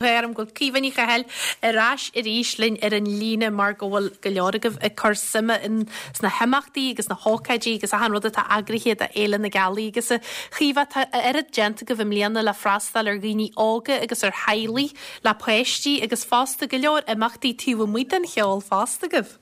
Orm go bhfuil Caoimhe Ní Chathail ar ais arís linn ar an líne mar go bhfuil go leor agaibh ag cur suime in sna himeachtaí agus na hócáidí agus achan rud atá eagraithe do Fhéile na Gealaí agus a Chaoimhe tá a oiread déanta agaibh i mbliana le freastal ar dhaoine óga agus ar theaghlaigh le páistí agus fosta go leor imeachtaí taobh amuigh den cheol fosta agaibh.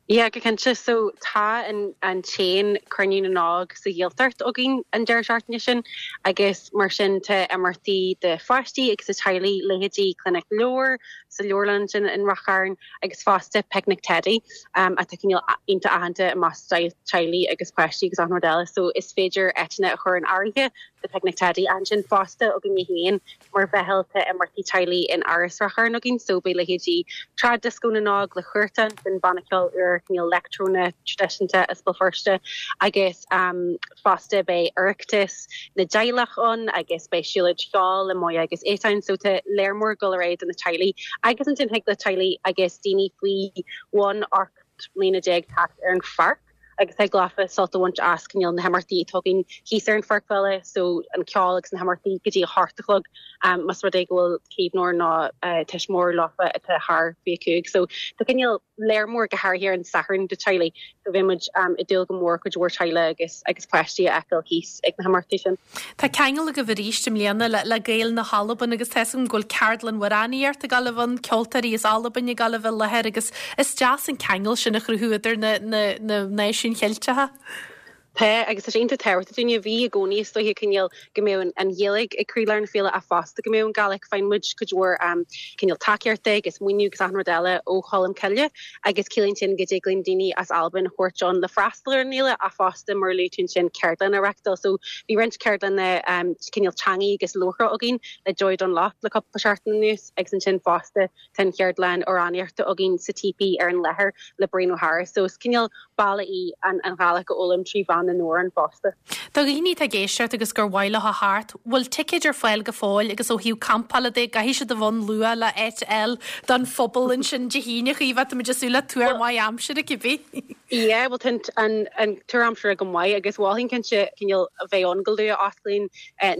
Yeah, go cinnte. So tá an an t-aon Cruinniú na nÓg sa Ghaeltacht againn an deireadh seachtaine sin agus mar sin tá imeachtaí do pháistí agus do teaghlaigh, leithéidí Clinic Leabhar sa leabharlann ansin in Ráth Chairn agus fosta Picnic Teddy atá cineál iontach aitheanta i measc teaghlaigh agus páistí agus achan rud eile. So is féidir áiteanna a chur in áirithe do Picnic Teddy. Ansin fosta againne féin Mar mheitheal tá imeachtaí teaghlaigh in Áras Ráth Chairn againn so beidh leithéidí Trad Disco na nÓg le Huartan, sin banna ceoil úr cineál leictreonach traidisiúnta as Béal Feirste agus fosta beidh Oireachtas na dTeaghlach ann agus beidh siúlóid cheoil le Moya agus Étáin so tá léar mór ag dul ar aghaidh do na teaghlaigh agus ansin thig le teaghlaigh agus daoine faoi bhun 18 mbliana teacht ar an pháirc. agus thig leofa sult a bhaint as cineál na himeachtaí atá againn thíos ar an pháirc bhaile, so an ceol agus na himeachtaí go dtí a hocht a chlog más rud é go bhfuil caomhnóir nó tuismitheoir leofa atá thar 25. So tá cineál léar mór go háirithe ar an Satharn do teaghlaigh so bheidh muid ag dúil go mór cuid mhór teaghlaigh agus agus páistí a fheiceáil thíos ag na himeachtaí sin. Tá ceangal agaibh arís i mbliana le Gaeil na hAlban agus tá 'fhios agam go bhfuil ceardlann amhránaíochta ag gabháil a bheith ann, ceoltóirí as Albain ag gabháil a bheith i láthair agus is deas an ceangal sin a chruthú idir na náisiúin Cheilteacha. Tá, agus tá sé iontach tábhachtach dúinne. Bhí i gcónaí is dóiche cineál go mbeadh an Ghaeilge ag croílár na féile ach fosta go mbeadh an Gàidhlig. Faigheann muid cuid mhór cineál tacaíochta agus maoiniú agus achan rud eile ó Cholm Cille agus ciallaíonn sin go dtig linn daoine as Albain a thabhairt ann le freastal ar an fhéile ach fosta mar a luaigh tú ansin ceardlanna a reachtáil. So bhí roinnt ceardlanna cineál teangaí agus labhartha againn le Joy Dunlop le cúpla seachtain anuas agus ansin fosta tá an cheardlann amhránaíochta againn sa Teepee ar an láthair le Brian O'Hara. So is cineál bealach í an Ghàidhlig a fhoghlaim trí mheán na n-amhrán fosta. Do dhaoine atá ag éisteacht agus gur mhaith leo a theacht, bhfuil ticéid ar fáil go fóill agus ó thaobh campála de, caithfidh siad a bheith ann luath le áit a fháil don phuball ansin Dé hAoine, a Chaoimhe, tá muid ag súil le tuar maith aimsire cibé. Yeah, bhuel tá an tuar aimsire go maith agus mholfainn cinnte cineál a bheith ann go luath. Osclaíonn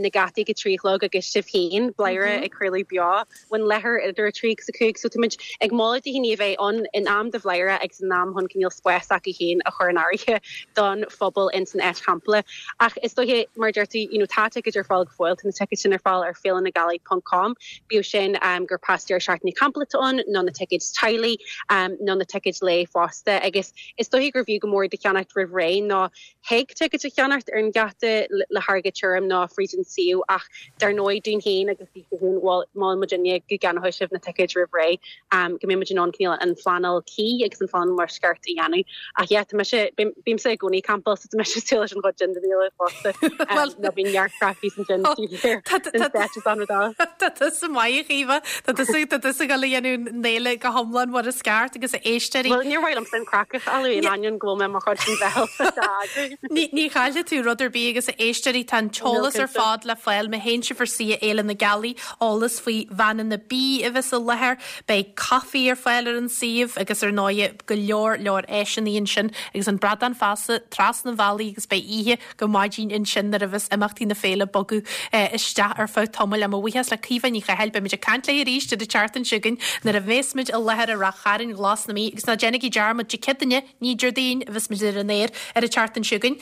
na geataí ag a 3 a chlog agus sibh féin, Bladhaire, ag craoladh beo. ón láthair idir 3 agus 5 so táimid ag moladh do dhaoine a bheith ann in am do Bhladhaire agus in am chun cineál spás s'acu féin a chur in áirithe don phuball ins an áit champála. Ach is dóiche, mar a deir tú, you know tá ticéid ar fáil go fóill, tá na ticéid sin ar fáil ar féilenagealaigh ponc com, bíodh sin gur pas deireadh seachtaine campála atá ann nó na ticéid teaghlaigh nó na ticéid lae fosta agus is dóiche gur bhfiú go mór iad a cheannacht roimh ré nó Thig ticéid a cheannacht ar an gheata le hairgead tirim nó fríd an suíomh ach dar ndóigh dúinn féin agus daoibhse féin, bhuel, molann muidinne go gceannóidh sibh na ticéid roimh ré, go mbeidh muid in ann cineál an phleanáil cuí agus an phleanáil mar is ceart a dhéanamh. Ach yeah, tá mise, bímse i gcónaí ag campáil so tá mise ag súil leis an chuid sin den fhéile fosta. Nó bíonn neart craic thíos ansin taobh thiar den stáitse is an rud eile. Tá tusa maith, a Chaoimhe. Tá tusa, tá tusa ag dul a dhéanamh an fhéile go hiomlán mar is ceart agus a éisteoirí. Bhuel, níor mhaith liomsa an craic a chailleadh in ainneoin go bhfuil mé mar chuid den mheitheal atá eagraithe. Ní, ní chaillfidh tú rud ar bith agus a éisteoirí, tá an t-eolas ar fad le fáil má théann sibh ar suíomh Fhéile na Gealaí, eolas faoi veaineanna bídh a bheas i láthair, beidh caife ar fáil ar an suíomh agus ar ndóighe go leor leor áiseanna ansin agus an Bradán Feasa trasna an bhealaigh agus beidh oíche go maidin ansin nuair a bheas imeachtaí na féile ag bogadh isteach ar feadh tamaill. Mo bhuíochas le Caoimhe Ní Chathail. Beidh muid ag caint léi arís ar an tseachtain seo chugainn nuair a bheas muid i láthair i Ráth Chairn Ghlas na Mí. Agus ná déanaigí dearmad, Dé Céadaoine, ní Déardaoin, a bheas muid ar an aer ar an tseachtain seo chugainn.